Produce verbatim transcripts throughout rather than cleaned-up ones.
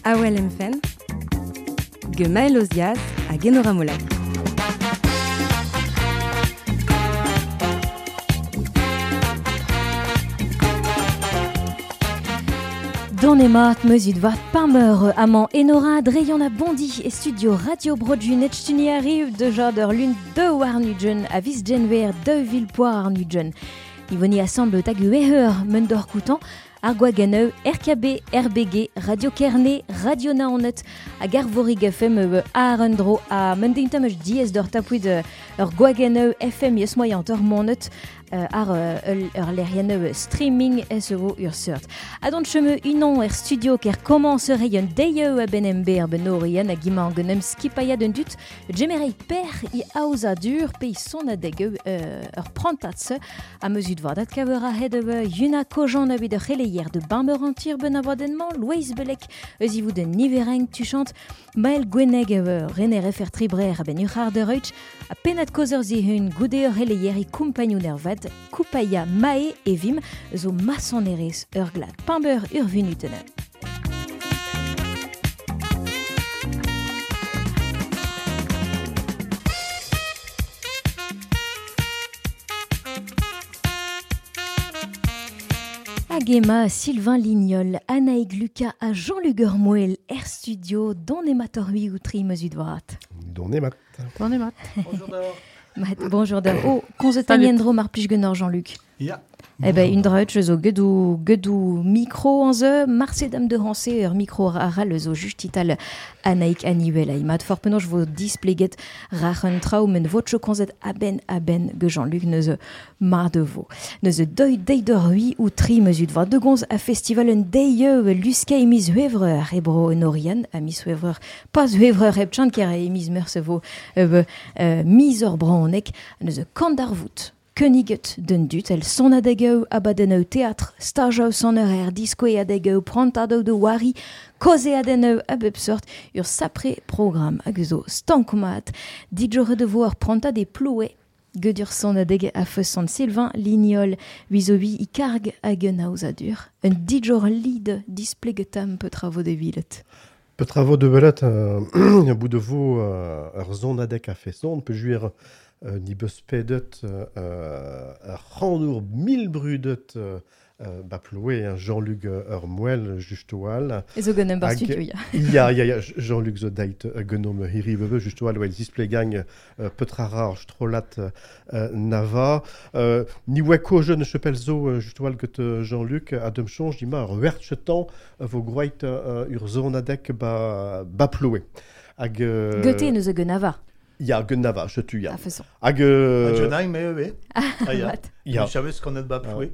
Awel em fenn, ge Maël Ozias hag Enora Molac. Don mat meuzut vat pameur amant Enora Dreyon a bondi e studio Radio Brodjun et stuni arrive de jader lune de warnujen a vis genver de villepoir arnujen. Ivoni assemble tag ueheur mendor koutan ar gwageneu R K B, R B G, Radio Kerne, Radio Naonet, hag Arvorig F M e Arendro a mendintam eus diez d'ur tapouid ur gwageneu F M eus moyant ur monet ar ur lerieneu streaming ez vo ur seurt. A dont cheme unan er studio ker commencerait un deieu a ben ember ben orien a gima an genem skipaya d'un dut gemerei per i aozadur pe i son a degeu ur prantatse a mezut vardat kaver a hed yuna kojan a vid ur c'heleier de bamber antir ben abadennement Loeiz Belek eus ivout de nivereng tuchant Maël Gweneg René refer tribrer a ben ur de reuch a penat kozer zihun goude ur c'heleier i kumpagnoun er vat Koupaya Mae evim zo masonerez ur glad pamber ur vinutene. Agema, Sylvain Lignol, Anaïg Lucas a Jean-Luc Urmoel, Air Studio, don emator hui ou tri mesut dvorat. Don emat. Don emat. Bonjour d'or. Bonjour d'or. Oh, konzetan mar plij genor Jean-Luc. Ja. Eh ben, une droite, zo gedou, gedou micro an ze, marse dam de hanse, ur micro aral zo justital Anaïk Aniwel a imat for penoj vo displeget rachen trao men votcho konzet aben aben ge Jean-Luc neuze mar de vo. Neuze deuil deidor hui ou tri mezut va de gonz a festival un deieu luska emiz huevreur e bro norian a mis huevreur pas huevreur heb chan ker emiz meurse vo euh, euh, mis ur braonek neuze kandarvout. Königet den dut, el son adegeu abadeneu teatr, stajeu son eur disco adegeu, prantadeu de wari, koze adeneu a bep sort, ur sapre program hag zo stankomat, dijore de vo ur prantad e ploe, gedur son adeg a feusant Sylvain Lignol, vizobi i karg hag un aozadur, un dijor lid displegetam petra vo de vilet. Petra vo de velet, un bout de vo ur zon adeg a feson, pe juir Euh, ni beus pedet euh, ur mil brudet euh, ba ploe hein, Jean-Luc ur moel justoal. E zo genem bar studio, ya. Ya, ya, ya, Jean-Luc zo deit genom hiri veve justoal, well displegang euh, petra rar strolat euh, nava. Euh, ni weko jeune chepel zo justoal get Jean-Luc a dem chonj di ma ur wertchetan vo groit euh, ur zonadek ba, ba ploe. Hag... Euh, Goethe neus genava. Ya, genava, je tu ya. Hag... Euh... Jonaï, mais oui. Ah, ya. Ya. Je savais ce qu'on a de bas ploué.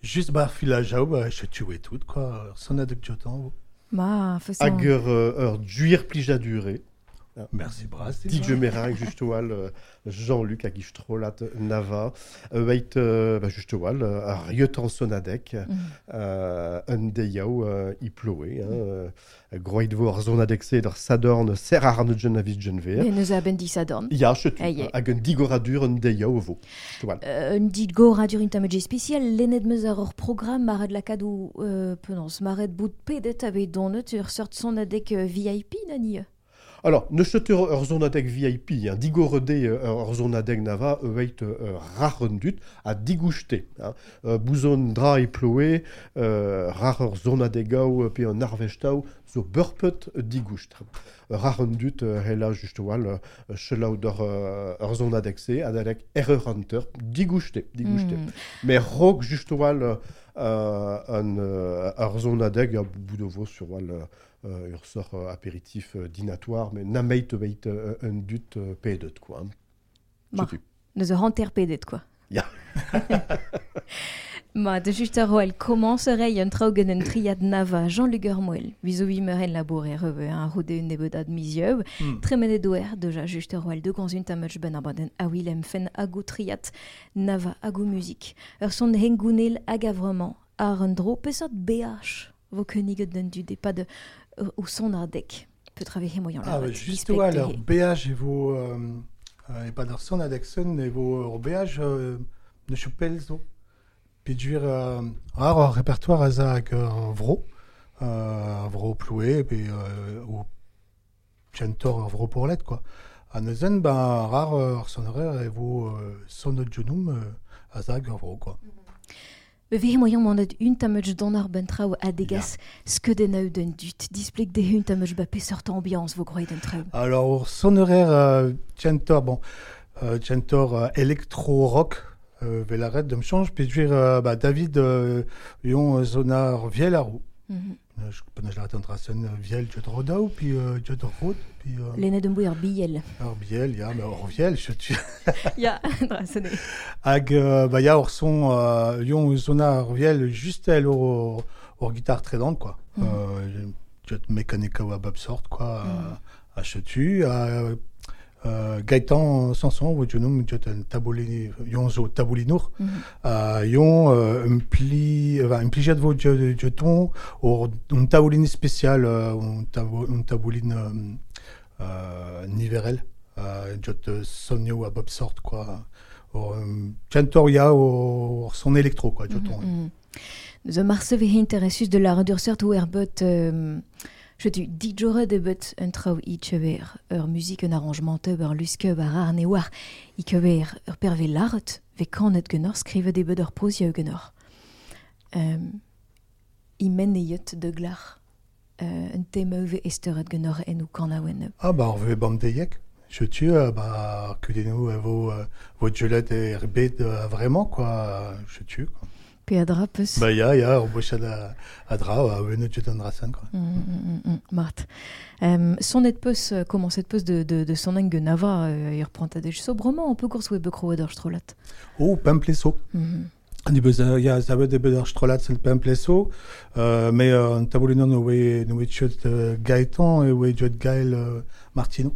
Juste bar filajao, bah, je tuais tout, quoi. Son adek jotan. Ma, façon. Hag ur, ur duir plijadure. Merci bras. Didier Meringue, justoal, Jean-Luc hag istrolat nava, weit, bah, justoal, ar riotan sonadek, un deiao i ploe, groit vo ar zonadek se d'ar sadorn ser ar jen avis jenver. Mais neus a ben di sadorn. Ya, chetu, hag un digoradur un deiao vo. Un digoradur un tamedje spécial, lennet meus ar ur programme maret lakadou, euh, penons, maret bout pedet ave donet ur sort sonadek V I P nani. Alors, ne chetur ur zonadek V I P, hein, digorede ur zonadek nava, weit rarendut a digouchte. Hein, bouzon dra e ploe, rar ur zonadegao pe un arvestao zo burpet digoust. Rarendut hela justoal chelaou d'ur ur zonadek se, adalek erreur hunter, digouchte, digouchte. Mm. Mais rog justoal un ur zonadek a boudovo sur wal Euh, ur sort euh, apéritif euh, dînatoire, mais nameit weit euh, un dut euh, pedet, quoi. Ma, neus ur hanter pedet, quoi. Ya. Ma, de just ar roel, commencerait un traugen un triad nava Jean-Luc Urmoel, vizoui meuren labour er reve, un roude un nebodad mizieu, mm. tremenet doer, deja just ar roel, de gans un tamach ben abaden a Willem fen agou triad nava agou musique. Ur son hengounel hag a vraiment ar un dro pesot B H vo königet d'un dud e pas de ou son adek peut travailler moyen ah ouais, juste ouais, alors B H et vo euh, et pas d'ar son adek son et vo B H euh, ne chopel zo puis duir euh, ar répertoire a hag vro euh, vro ploue, pe euh, o chantor ar vro porlet, quoi. A neuzen, ba, rar ar sonerer e vo euh, sonnet genum euh, a zag ar vro, quoi. Be vehe moian monet un tammech don ar ben traoù a degas skeudenn d'un dut. Displeg de un tammech ba peseurt ambiance vo groet d'un traoù. Alors, sonerer euh, chantor, bon, euh, chantor euh, électro-rock, euh, velaret de m'change, puis euh, bah, David euh, yon zonar viel ar roue. Mm -hmm. Je connais la trasen viel jot rodau, puis euh, jot rod, puis... Euh, Lene d'un ar biel. Ar biel, ya, mais ar viel, je tu... Ya, drasene. Hag, euh, bah, ya, or son, euh, yon zonar viel juste el or, or guitare trédante, quoi. Mm. Euh, jot mécanique ou a sort, quoi, mm. a chetu, a... Euh, Gaëtan Sanson, vo genum jot un taboulin, yon zo taboulinour, mm -hmm. uh, yon euh, un pli, euh, un plijet vo jeton, or un tabouline spécial, euh, un, tabo, un tabouline euh, euh, niverel, euh, jot sonio a bob sort, quoi. Or, um, chantor ya or son électro, quoi, jeton. Mm -hmm. Zo marse ve interessus de la redursert ou erbot... Euh... Je tu dijore de bet un traoù i chever ur musique un arrangement ur luske ur ar ne war i kever ur perve laret ve kanet genor skrive de bet ur prozia genor. Um, i men e de glar uh, un temeuve esteret genor en ou kanaouen. Ah bah on veut bam deyek. Je tu euh, bah kudenou vo vo julet e rbet vraiment quoi je tu quoi. Pe a dra peus. Ba ya, ya, ur bochad a, a dra, a wenet jet an drasen, quoi. Mm, mm, mm, Mart. Um, sonet peus, comment cette peus de, de, de son eng nava, euh, ir prantadej sobrement, un peu gours oe bekro ur strolat. Oh, pempleso. Mm -hmm. Ni beus, ya, zavet de bet ur strolat sel pempleso, euh, mais euh, an taboulinon oe, oe jet euh, Gaëtan e oe jet Gaël euh, Martino.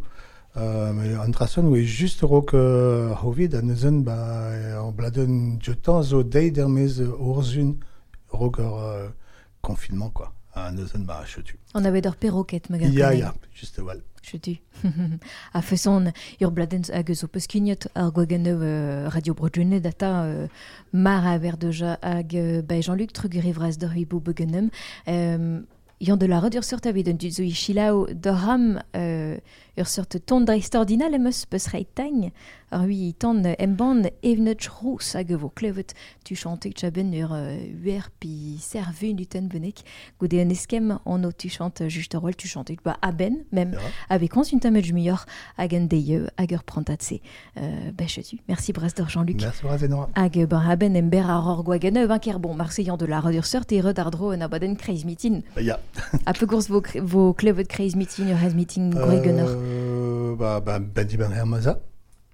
Euh, mais an drasen oe just rok euh, hovid a neuzen ba an bladen jetan zo deit ermez orzun rok ur euh, confinement quoi. A neuzen ba chetu. On avait ur perroquet me Ya ya, juste wal. Chetu. A feson ur bladen hag zo peus ar gwagenneu euh, Radio Bro-Gwened data euh, mar a ver deja hag euh, ba Jean-Luc Trugerivraz d'ur hibou begenem. Euh, Yan de la ur seurt avit un dud zo i d'oram euh, ur seurt ton dreistordinal em eus peus reit tagn ar ui tan emban evnet rous hag vo klevet tu chante chaben ur uer pi servu nuten benek goude un eskem on o tu chante just ur tu chante ba aben même yeah. Avec kons un tamed muioc'h hag un deieu hag ur prantatse euh, ben chetu merci bras d'or Jean-Luc merci bras Enora hag ben aben ember ar ur gwageneu un ker bon marseillan de la ur seurt e red ardro un abaden kreiz mitin ya a peu gours vo, vo klevet kreiz mitin ur hez mitin gwregenor euh, bah, bah, ben di ben her maza.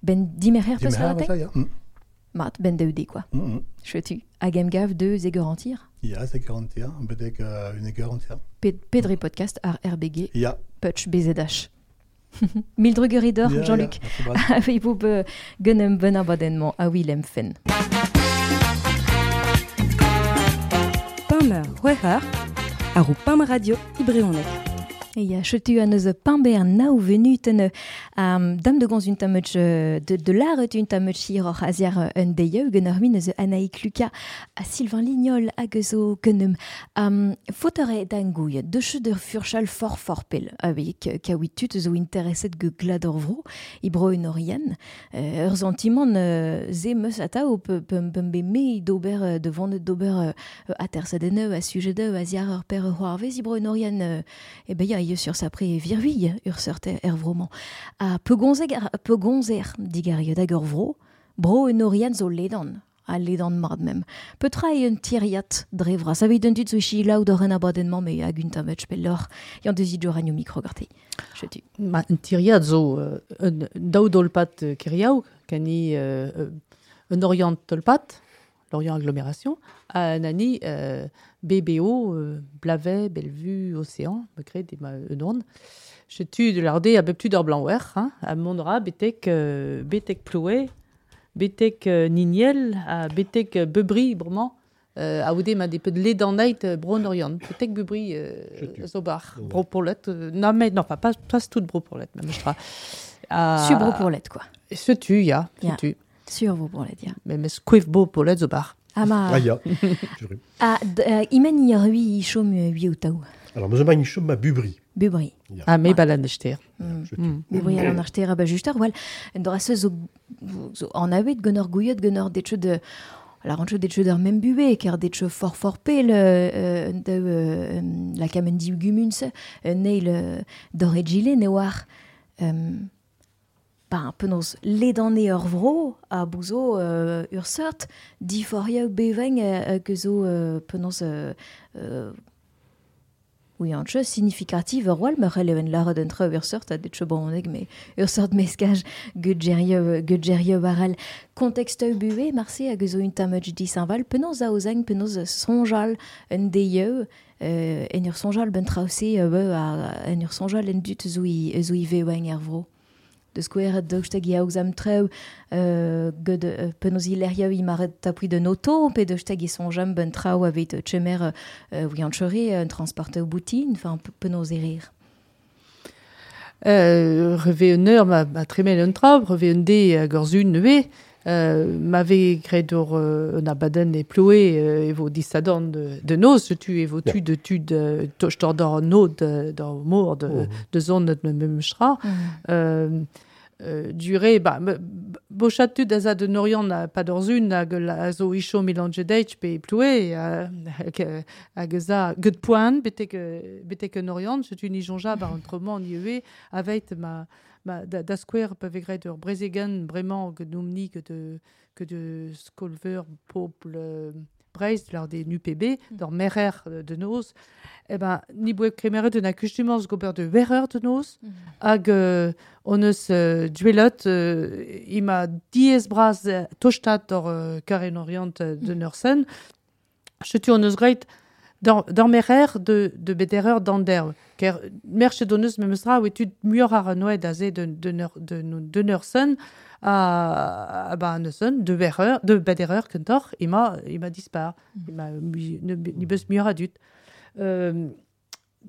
Ben dimerher peus la ya. Mm. Mat, ben daoude, quoi. Mm -hmm. Chetu. Hag em gav de zeger antir. Ya, zeger antir, bedek uh, une eger antir. Pe pedre podcast ar R B G. Ya. Putch B Z H. Mil drugeridor, ya, Jean-Luc. Ya, Avei bo be genem ben abadennement a Willem Fenn. Pameur, c'hwec'h ar o Pam Radio Ibreonek. Ya, chetu an eus pamber nao venuten um, dam de gons un tammech de, de l'art un tammech hir oc'h aziar un deieu gen ur min eus Anaïk Lucas a Sylvain Lignol hag eus o genem. Um, Fotore d'angouille, de cheu de furchal for for pel, avec kaouit tut zo intereset ge glad ur vro, i bro un orian, euh, ur sentiment euh, ze meus ata o pe, pe, pe be me d'ober de vannet d'ober euh, atersadeneu a sujet de aziar ur per c'hoarvez i bro un orian euh, e ben ya sur sa pre virhuille ur seurt er vroman. A pegonzer, pegonzer digario hag ur vro, bro un orian zo ledan, a ledan mard mem. Petra e un tiriat dre vras. Aveit un dud zo ichi laout ur en abadennement me hag un tammech pelloc'h. Yann deus idjo ranio micro garte. Chetu. Ma un tiriat zo euh, un daou dolpat keriaou, kani euh, un orient tolpat, l'Orient Agglomération, a nani euh, B B O, euh, Blavet, Bellevue, Océan, me crée des un Chetu de l'ardé a beptu d'or blanc hein, a mondra betek euh, betek ploué, betek euh, niniel, a betek euh, bebri brement, euh, a oude ma des peu de lait d'an night bron orient, betek bebri euh, zobar, bro pourlet, euh, non mais non pas pas pas tout bro pourlet même je crois. Sur bro pourlet quoi. Chetu ya, chetu. Sur vos pour la dire. Mais mais squiff beau pour les zobar. Ah ma. Ah ya. Ah imen i ur ui chom ui ou taou. Alors, me zo ma chom ma bubri. Bubri. Ya. Ah, me balan ster. Mm. Bubri alan ar ster a ba just ar wal. En dora se zo, zo an avet gant ur gouiot gant ur detcho de... La rancho detcho d'ur mem bube, ker detcho for for pel euh, de euh, la kamen div gumuns, neil d'or egile ne oar... Euh, ba, penaos ledane ur vro a bouzo euh, ur seurt diforia beveng euh, que zo euh, penaos euh, euh, oui, an chose significative ur wal meur eleven lar d'un tre ur seurt a detcho bronneg mais ur seurt meskaj gudgerio gudgerio baral contexte buwe marse hag zo un tamaj disanval penaos a ozang penaos sonjal un deieu euh, en ur sonjal ben trause euh, a en ur sonjal en dut zo i zo i veweng er vro. De skouer daoust hag i aoz am treu euh, gant euh, penaos i lec'hioù i maret tapui de noto, pe daoust hag i sonjam ben traoù aveit chemer euh, oui an chore un transporteur boutin, enfin penaos e rir. Euh, reve un eur ma, ma tremel un traoù, reve un de hag ur zun neuve, euh, m'ave graet ur euh, un abadenn e ploe euh, e vo disadorn de, de noz, setu e vo tu de tu de tostor d'or nod d'or mor de, oh. de zon de me mechra. Mm. Euh, Euh, durée ba bochat tud a za de Norian a pa d'orzun hag a zo icho melange pe ploe hag hag za get poan betek betek Norian setu ni jonja ba entrement ni ue aveit ma ma da, da square pa vegret ur brezegen bremañ que noumni que de que de skolver popl Breizh lar des N U P B mm. d'or merer de noz eh ben ni boe kremeret de na kustumans gober de wereur de noz mm. hag euh, on eus euh, duelot euh, ima diez braz tostat d'or euh, karen orient de mm. Nursen chetu on eus greit d'or, d'or merer de de bedereur d'anderv ker merche doneus memestra oe tud muioc'h ar noed aze de de neur, de, de Nursen a, a ba neuzen, de berreur, de bedereur kentor, ima, ima dispar, mm. ima ni beus muioc'h a dud. Euh,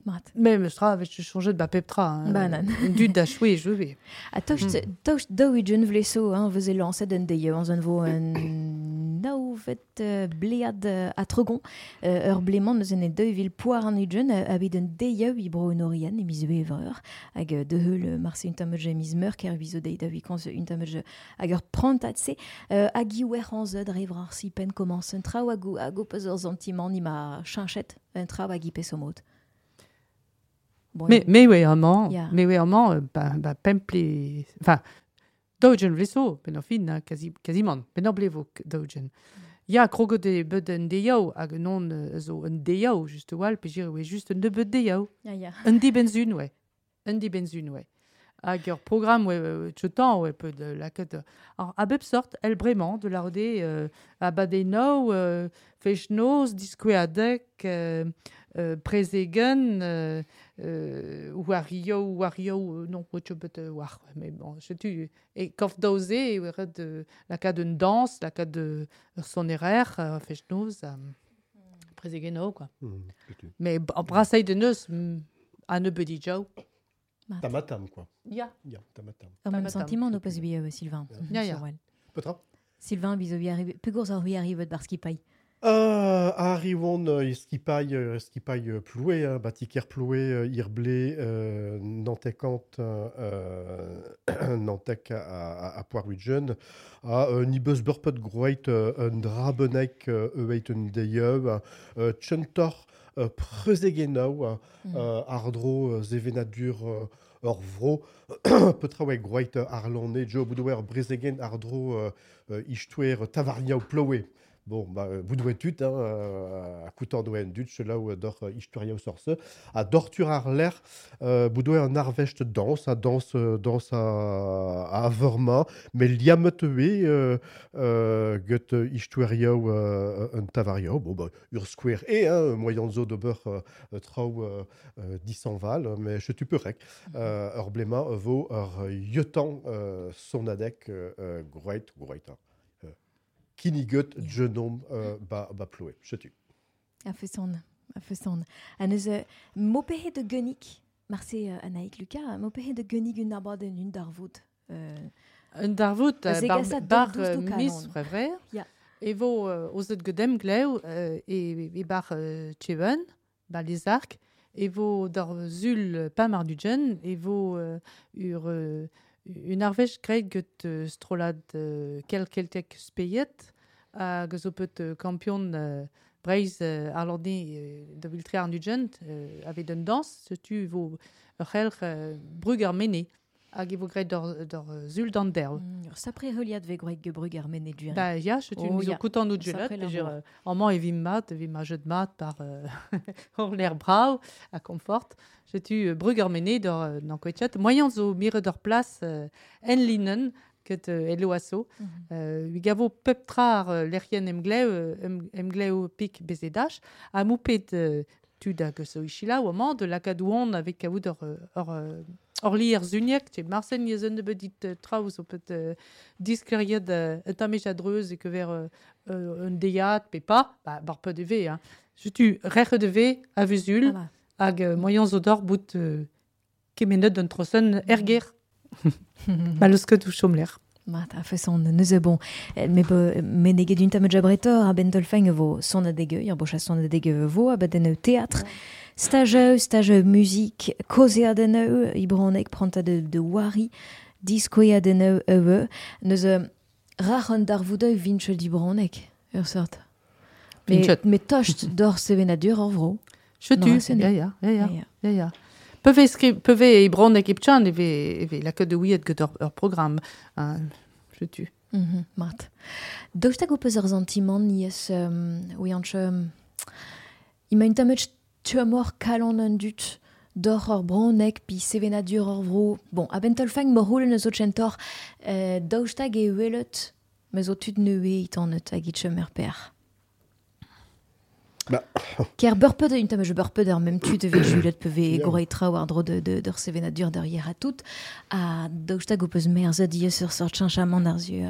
Mat. Mais me stra avech changé de ba pep tra. Hein. Ba nan. Dud da choué, joué. A tocht, mm. tocht daou ugent vleso, hein, veze lañset un deiz, an vo un naouvet uh, blead uh, a tregon, uh, ur blemant eus en e daou vil poar an ugent, uh, aveit un deiz i bro en Orient, e miz evreur, hag uh, de heul marse un tamaj e miz meur, ker vizo deiz da vikans un tamaj hag ur prantat se, uh, hag i wer an zeud revr ar si pen komans un traoù hag hag o peus ur sentiment ni ma chinchet, un traoù hag i pesomot. Bon, mais mais oui amañ, yeah. Mais oui amañ ba ba pemple enfin daougen vleso ben fin quasi quasiment ben blevo daougen. Ya krogot de beud un deiaou hag non zo un deiaou just wal pe jir oe just un nebeud deiaou. Ya ya. Un dibenzun ouais. Un dibenzun ouais. Hag ur programme ouais tchetan ouais peu de la ket alors a bep sort el bremañ de la rode euh, abadennoù euh, fechnoz diskoueadek euh, euh, prezegen euh, euh, wario wario non bet war mais bon setu e kof daoze e ret la kad un danse la kad de sonerer euh, fechnoz euh, prezegeno quoi. Mmh, mais brasai de neus a nebeud dijaou. Tamatam quoi. Ya. Ya, tamatam. Ur même sentiment no peus bi Sylvain. Ya ya. Petra? Sylvain bizo bi arrive pegourz ar hui arrive bar skipailh. Euh, arrivon euh, skipailh euh, skipailh euh, ploué hein, batiker ploué euh, irblé euh, nantekant euh, nantek a, a, a poar-widgen a euh, ni beus burpet groeit euh, un drabenek euh, eueit un deieu euh, tchentor euh, preuzegenaou euh, mm. ardro euh, zevenadur euh, ur vro petra oe groeit arlone jo boudouer brezegen ardro euh, euh, ichtouer tavarniaou ploué. Bon, bah, boudouet tut, hein, euh, a koutan doa en dut, selaou d'or euh, istoria sorse, a dortur ar l'air, euh, boudouet an arvest danse, a danse, danse a, a averma, mais liamet oe euh, euh, get istoria euh, un tavaria, bon, bah, ur square e, hein, moyen zo d'ober euh, traoù euh, euh, disanval, mais je tu perek, euh, ur blema vo ur yotan euh, sonadek euh, groeit, groeit, hein. Kiniget yeah. Genom euh, ba, ba ploe, setu. A feson, a feson. A neus mopehe de genik, marse uh, Anaïk Lucas, mopehe de genik un abadenn un darvoud. Euh, un darvoud, bar, bar mis frevrer. Ya. E vo euh, ozet gedem glev euh, e, e bar euh, tcheven, bar les arc, e vo d'ar zul pa mar dujen, e vo euh, ur, euh, un arvech graet get euh, strolad euh, kel keltek speiet, hag zo pet euh, kampion euh, Breiz euh, ar lordi euh, da viltre ar dujen, euh, avet un dans, setu vo ur c'helc'h euh, brug ar mene, hag e vo graet d'ur, d'ur zul d'an derv. Mm, ur sapre heuliad ve groet ge brug ar mene durin. Ba ya, setu Oh, oh, ya. koutant out Sapre jelet, labour. euh, amañ e vim mat, e vim a jet mat par euh, hor l'air brav, a confort. Setu euh, brug ar mene d'ur euh, d'an koetchat. Moyen zo miret d'ur plas euh, en linen ket euh, elo aso. Mm -hmm. Euh, ui gavo pep tra ar euh, lerien emglev, euh, em, emglev pik bezedach, ha moupet euh, tud hag zo ichila ou amañ de lakadouan avec kaout ur, ur, ur, ur lier zuniek, te marsen yezen de bedit euh, traoù zo pet euh, diskleriet euh, un tamej adreuz e kever euh, euh, un deiad pe pa, ba, bar pe de ve, hein. Setu rec'h de ve a vuzul, Ah, hag euh, moyen zo d'or bout euh, kemenet d'un trosen erger. Ba leus ket ou chomler. Mat, a feson neuze bon. Eh, Me be, me neget un tamm jabretor a ben dolfeng vo son adege, ur bocha son adege vo a ben en théâtre. Stage, stage musique, koze adeneu, ibronek pranta de, de wari, diskoe adeneu eue. Neuze rac'h an darvoudeu vinche d'ibronek, ur sort. Me, Vinchet. me tocht d'or sevenadur ur vro. Chetu, Non, c'est ya, ya, ya, ya, Ya, ya, ya. Peve skri, peve e bronek e pchan e ve, e ve lakaet de ouiet get ur, ur programm. Hein, chetu. Mm -hmm, mat. Daoust hag ho peus ur sentiment niez, um, ouianch, um, ima un tamm tuamor kalon un dut d'or ur bronek pi sevenadur ur vro. Bon, a ben tolfang mor houlen eus o tchentor, euh, daoust hag e welet, me zo tud neue itannet hag it chom ur per. Ba. Ker beurpet un tamm beurpet ar mem tud evet julet peve Ya. gorei traoù ar dro de, de, d'ur sevenadur d'ur yer a tout, a daoust hag ho peus merzet diez ur sort chenchamant ar zu euh,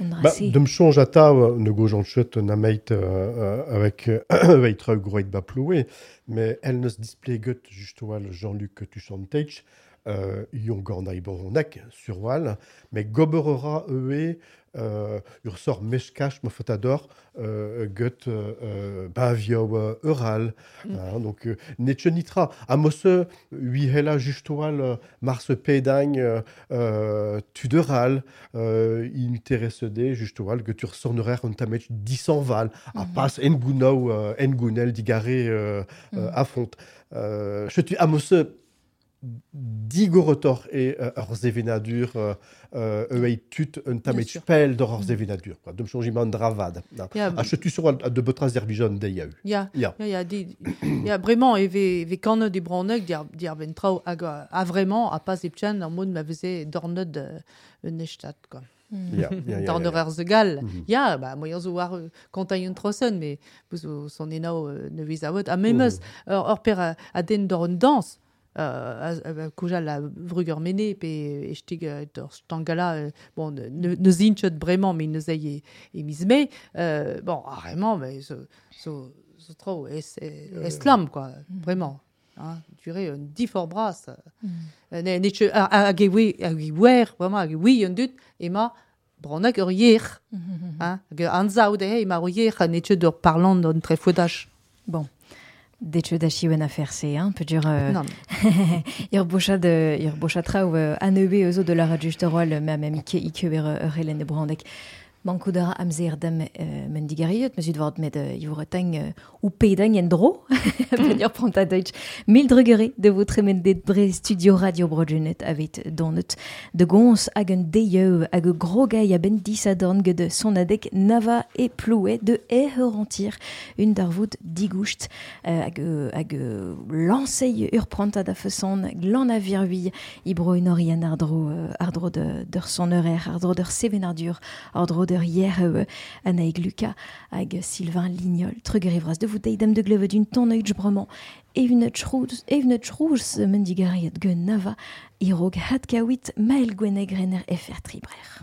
un Ba, drase. dem chonj atav ne gojant chet na meit euh, avec euh, avec traoù groet ba ploue, mais elle neus displeget just oal Jean-Luc Tuchantech, euh, ion gant a iboronek sur oal, mais goberera eue euh, ur sort meskach ma fotador euh, get euh, bavio euh, eural. Mm. Hein, donc euh, netche nitra a mosse ui hela just oal euh, mars pedagne euh, euh, tuderal euh, interesede just oal get ur sornerer un tamet disanval a Mhm. pas en gounou euh, en gounel digare euh, Mm. euh, a font. Euh, chetu a mosse digorotor e euh, ur zevenadur euh, euh, euei tut un tamet sûr. spell d'ur ur zevenadur quoi. Dem changement dravad. Na. Ya, A chetu sur a de betra zervijon de yaou. ya, Ya. ya, ya, di, ya, bremañ e ve, ve kannet e bronek diar, diar ben traoù hag a, a vraiment a pas e pchan ar mod ma veze dornet euh, un estat, quoi. Mm. Ya, ya, ya, ya, Dorner ya. ar zegal. Mhm. Ya, ba, moyen zo war euh, kontañ un trosen, mais vous zo son enao euh, ne vez a a memeus ur, ur per a, a den d'ur un dans, euh, a, a, koujal a vrug ur mene, pe e stig euh, d'ur stangala, euh, bon, ne, ne, ne zinchet bremañ, mais ne zei e, e miz me, euh, bon, ah, vraiment, mais zo, zo, zo tro, es, es lam, quoi, vraiment. Hein, duré un difor bras. Mm. Euh, ne, ne tche, a, a, hag e oe, hag e wer, vraiment, hag e oui un dut, ema bronak ur yer. Mhm. Hein, hag anzaou dezhe, ema ur yer, ha ne tche d'ur parlant d'an trefodach. Bon. Detche da chiwen afer se, hein, pedur euh, Non, ur bochad ur bochad traoù euh, aneue eus de la radio justerol me am ike ike ur ur helen e brandek. Mankout a ra amzer dam euh, men digariot, meus vord met euh, ivor tang euh, ou pedang en dro, pedur pranta deutsch. Mil drugere de vo tremen det bre studio radio brojunet avet donet de gons hag un deieu hag grogay a ben disadorn get de son adek nava e ploue de eher un darvoud digoust euh, hag hag lansei ur pranta da feson glan a virui ibro un ardro euh, ardro de d'ur son horaire ardro d'ur sevenardur ardro d'ur hier euh, Anaïg Lucas hag Sylvain Lignol trugerivras de vous deidam de gleve d'un ton oeud bremañ evnet chrouz evnet chrouz mendigariet gen nava irog hatkawit mael gweneg renner F R tribrer.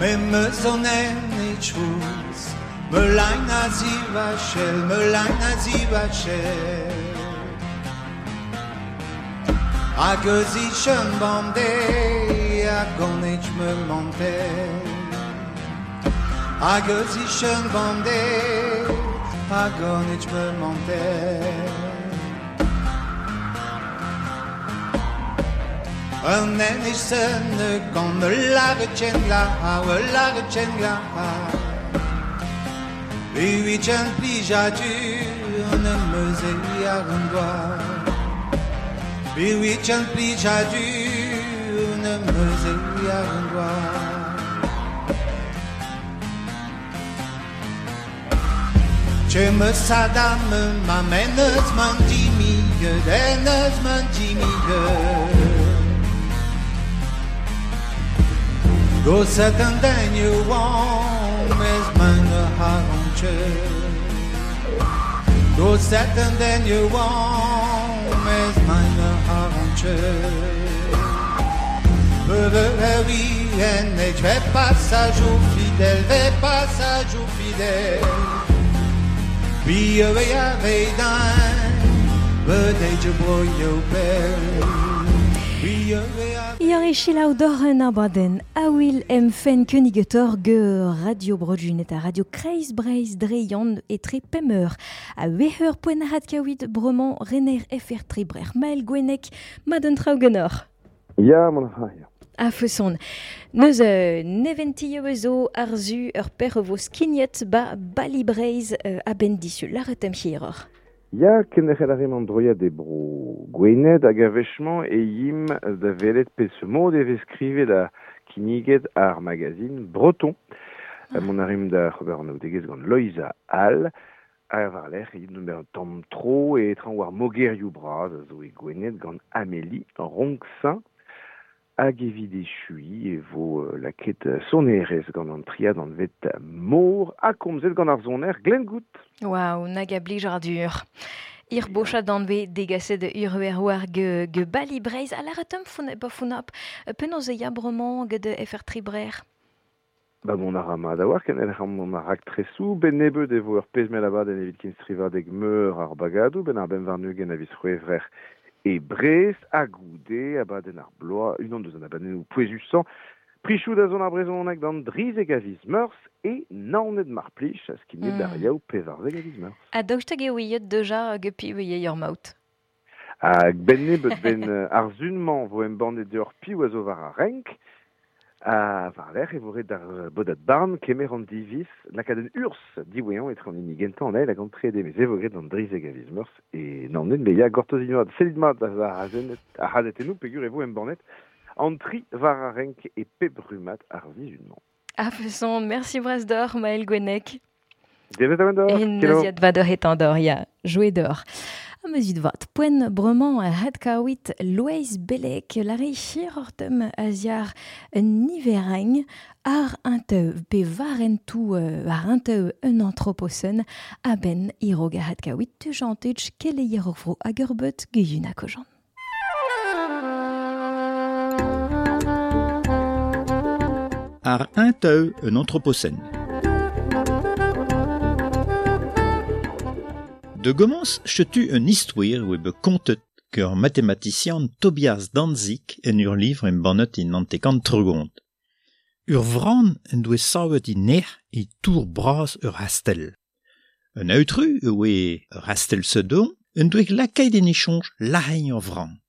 Me meus an en chrouz, me lain a zivachel, me lain a zivachel. Hag eus ichen bande a gant me mante Hag eus ichen bande a gant me mante Un en isen gant me lare chen la me lare chen la Biwichen plijadur ne meuze ar an doa Biwichen plijadur ne meuze ar an doa Che me sadam ma menez man dimige denez man dimige Goset an den you want mes man a haronche Goset an den you want mes man a haronche Oui, en et vais passage au fidèle, vais passage au fidèle. Puis avait d'un, bedej broio bel. Iar e selaou d'or un abadenn a-wil em fen keunigetor ge Radio Bro-Gwened a Radio Kreiz Breizh dre yann etre pemp a weheur poent ar kaouit bremañ rener F R Tribrer Mael Gwennek maden traoù genor. Ya, mon ha, ya. A feson. Neus euh, neventi zo arzu ur per vo skignet ba Bali Breizh euh, a-benn disul lâret em hiroc'h. Ya, kenderc'hel a rim an droiad e bro Gwened hag a-wechmañ e yim da welet peseurt e vez skrivet da kinniget ar magazine Breton. Ah. Mon a rim da c'hober an aoudegezh gant Loeiza All, ha war lerc'h e yim d'ober un tamm tro e traoñ war mogerioù bras a zo e Gwened gant Amélie Ronxin. Hag evit echui e vo uh, laket sonerez gant an triad an vet mor ha komzet gant ar soner Glenn Gout. Waouh, nag a blij ar dur. Ir bochad an ve degaset ur ur war ge, ge Bali Breizh a lâret fon ba fonap penaos e ya bremañ get F R Tribrer. Ba mon a ra mat a war ken el mon a rak tresou, ben nebeud e vo ur pezh mell abadenn evit ken strivadeg meur ar bagadou, ben ar ben warn-ugent a viz c'hwevrer e Brest, a goude, abadenn ar bloaz, unan deus an abadennoù pouezusañ, prichou da zon ar brezhoneg d'an drizek a viz meurzh e naoned mar plij, a skinnet mm. d'ar yaou pevarzek a viz meurzh. A daoust hag eo ouiet deja hag piv eo ur maout. Hag ben nebeud ben ar zun-mañ vo embannet deoc'h piv a zo war ar renk, a war lerc'h e vo ret d'ar bodad barn kemer an diviz lakaat un urzh diwezhañ etre an hini gentañ an eil hag an trede, mes e vo graet an drizek a viz meurzh e naoned, me ya gortoz mat sellit mat ar c'hazetennoù peogwir e vo embannet an tri war ar renk e pep rummad ar sizhun-mañ. A feson, merci bras d'or, Maël Gwennek. Devet a d'or. E neuziad va d'or etan d'or, ya, jouet d'or. A meuzit vat, poent bremañ a had kaouit Loeiz Bellec lare chirortem a ziar nivereng ar un teu pe war en tou war un teu un anthroposen a ben irog a had kaouit tujantuch keleier ur vro hag ur beut geyun a kojan. Ar un teu un anthropocène. De gommans chetu un histoire oe be kontet ur mathématicien Tobias Danzig en ur livre en bannet in antekant tregont. Ur vran en doe savet in ner e tour bras ur hastel. Un autru oe ur hastel sedon en doe lakaet en échange lahein ur vran.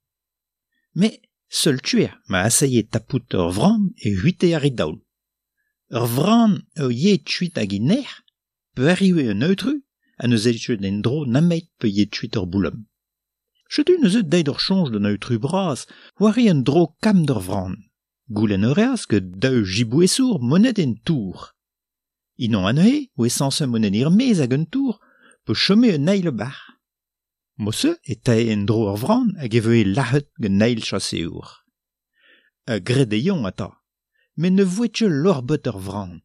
Mais seul tuer ma assaye tapout ur vran e huite ar e daol. Ur vran ur ye tuit hag in ner, pe arrive un autru a neus elchet en dro nameit pe ye tuit ur boulom. Chetu neus deit ur chonj d'un autru bras, war un dro kam d'ur vran. Goulenn ur eas ke daou jibouesour monet en tour. Inon anezhe, oe sanse monet ir mez hag un tour, pe chome un eil bar. Mosse e tae en dro ur vran hag e veue lac'het gant eil chaseour. A gredeion ata, met ne voet ket lorbet ur vran.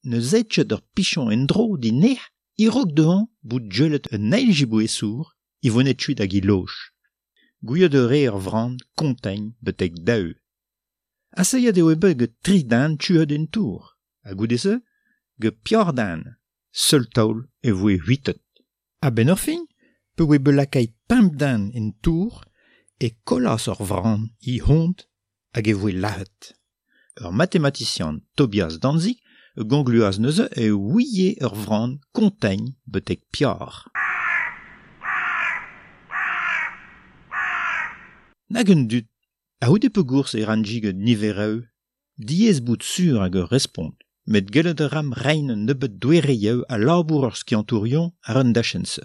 Ne zet ket ur pichon en dro di ner, irok dehon bout jelet un eil jibouesour, i vonet tuit hag i loj. Gouiet ur re ur vran kontegn betek daou. Aseiet eo bet get tri dan tuet en tour, ha goude se, get pior dan, seul taol e voe huitet. A ben ur fin, pe oe bet lakait pemp dan en tour, E kollas ur vran i hont hag e voe lahet. Ur matematician Tobias Danzig gongluaz neuze e ouie ur vran kontegn betek piar. Nag un dud, a houde pegours e ranjig nivereu, diez bout sur hag ur respont, met gellet a ram rein un nebeut douereieu a labour ur skiantourion ar un dachense.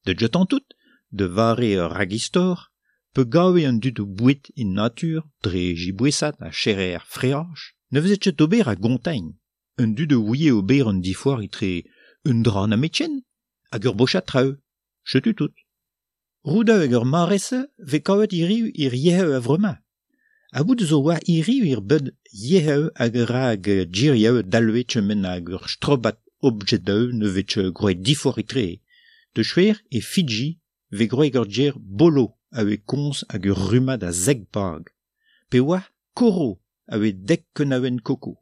De jetan tout, de vare ur ragistor, pe gawe un dud o bouet in natur, dre jibouesat a cherer freaj, ne vezet ket ober a gontegn. Un dud o ouie ober un difoar itre un dra na metchen, hag ur bochat traeu, chetu tout. Roudeu hag ur marese ve kavet iriu ir yeheu a vrema. A bout zo oa iriu ir bed yeheu hag ur hag djirieu dalwe chemen hag ur strobat objedeu ne vet groet difoar itre. De chwer e Fidji ve groet ur djer bolo a oe komz hag ur rumad a zeg bag. Pe oa koro a oe dek kenaouen koko.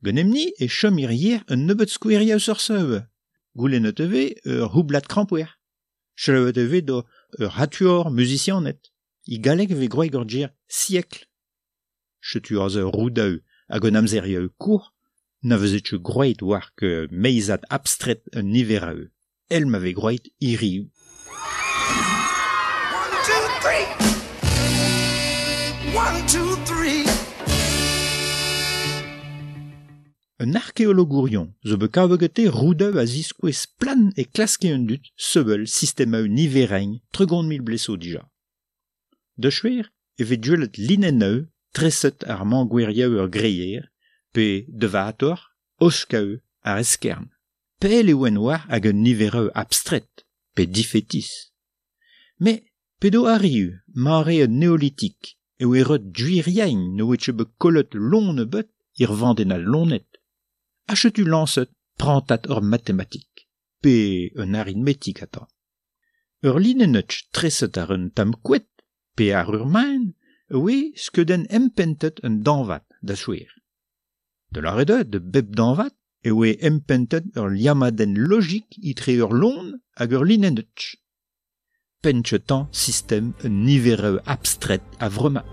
Genemni e chom ir yer un nebeut skoueriañ ur seu. Goulennet eve ur houblat krampouer. Cheleuet eve do ur hatuor musicianet. I galleg ve groeg ur djer siècle. Chetu az ur roudeu hag un amzerieu kour, na vezet che groet war ke meizad abstret un nivereu. El ma ve groet iriu. One, two, three. One, two, three. Un arkeologourion zo bet kavegete roudeu a ziskouez plan e klaske un dut sevel sistemeu niverein tregont mil bleso dija. De chwer e vet duelet linenneu treset ar mangouerieu ur greier pe de vator oskeu ar eskern. Pel e oen war hag un nivereu abstret pe difetis. Me pedo arriu mare un neolitik e oe reut duiriain no oe bet kolot lon bet ir vanden al lonet. Achetu lanset prantat ur matematik, pe un arithmetik ata. Ur linennetch treset ar un tam kouet, pe ar ur maen, oe skeuden empentet un danvat da chouer. De la rede de bep danvat, e oe empentet ur liamaden logik itre ur lon hag ur linennetch. Penchetan system un nivereu abstret a vrema.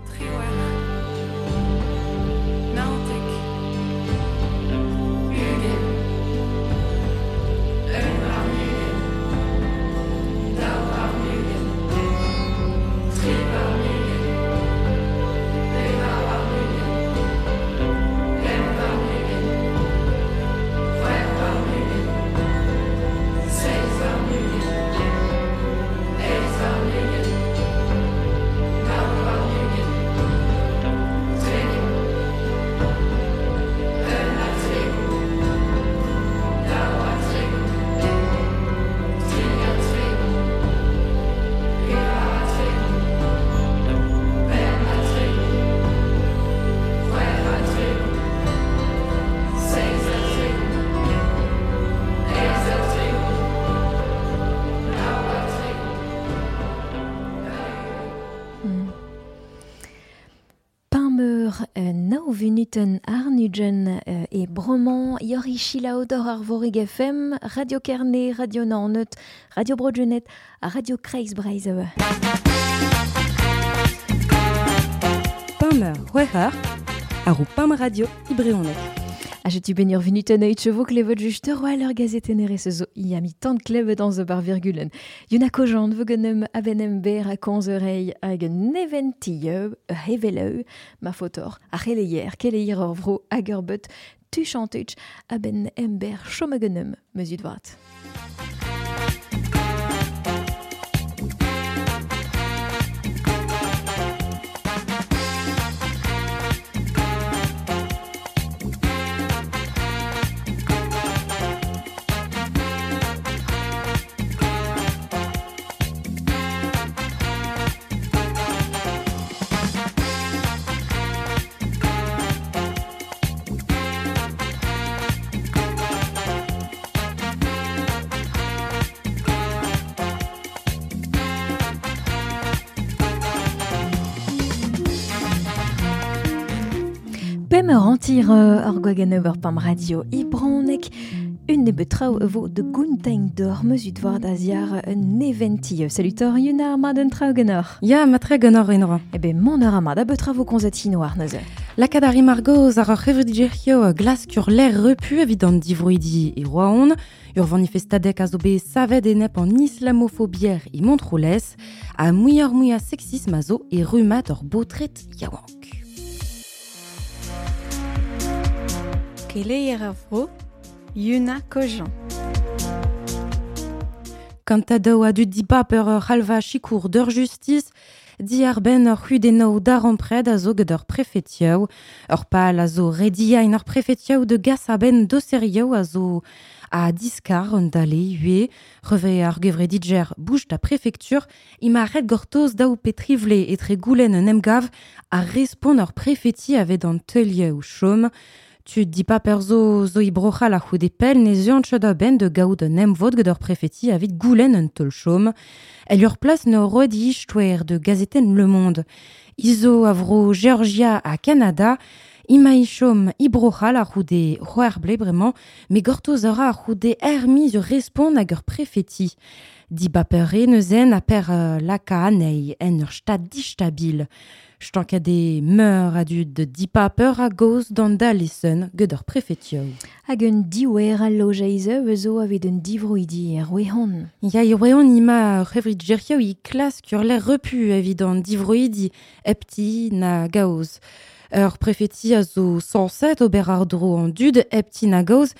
Vinuten Arnugen e Bromant, Yori Chilaodor ar Vorig F M, Radio Kerne, Radio Naoned, Radio Bro-Gwened ha Radio Kreiz Breizh. Pameur c'hwec'h ar o Pam Radio Ibreonek. A jetu ben ur vinuten oit chevo klevet just ur ur gazetenere zo i ami tant klevet an zo bar virgulen. Yuna kojant vogenem abenem ber a konz eurei hag neventieu, heveleu, ma fotor, a c'heleier, keleier ur vro hag ur beut, tu chantuch, aben ember chomegenem, meuzut vat. Pemeur antir ur gwagenn ur pam radio Ibronek Un nebeut traoù vo de gountegn d'or meuzut war da ziar un eventi. Salutor Yuna ma d'un traoù genor. Ya, ma tre genor enora. Ebe mon ur amad a betra vo konzet hinoar neuze. Lakad ar margoz ar ur c'hevredigezhioù glask ur l'air repu evit an divroidi e roaon, ur vanifestadek a zo bet savet enep an islamofobier e Montroulez, a muioc'h muiañ sexisme a zo e rummad ur baotred yaouank. Keleier ar vro, Yuna Kojan. Kantadaou a dud dibab ur ur c'halva sikour d'ur justice, di ar ben ur c'hudennoù darempred a zo gant ur prefetioù, ur pal a zo rediañ ur prefetioù de gas a ben doserioù a zo a diskar un dale ue, reve ar gevredidger bouch da prefektur, ima ret gortoz daou petrivle etre goulenn un emgav a respont ur prefeti avet an teulioù chom. Tu di pa perzo zo i brochal a c'houde pel ne zuan chod a ben de gaout un emvod gant ur prefeti avit goulenn un teul chom. El ur plas ne roet ichtouer de gazeten Le Monde. Izo avro Georgia a Canada, ima ichom i brochal a c'houde c'hoer ble bremañ, me gortoz ur a c'houde ermi zo respont hag ur prefeti. Di bapere neuzen a per uh, laka anei en ur stad distabil. Stankade meur a dud de di paper a goz d'an dalesen gant ur prefetioù. Hag un diouer a lojeiz eus zo avit un divroidi er roehon. Ya e roehon ima ur c'hevredigezhioù i klask ur l'air repu evit an divroidi epti na gaoz. Ur prefeti a zo sañset ober ar dro an dud epti na gaoz,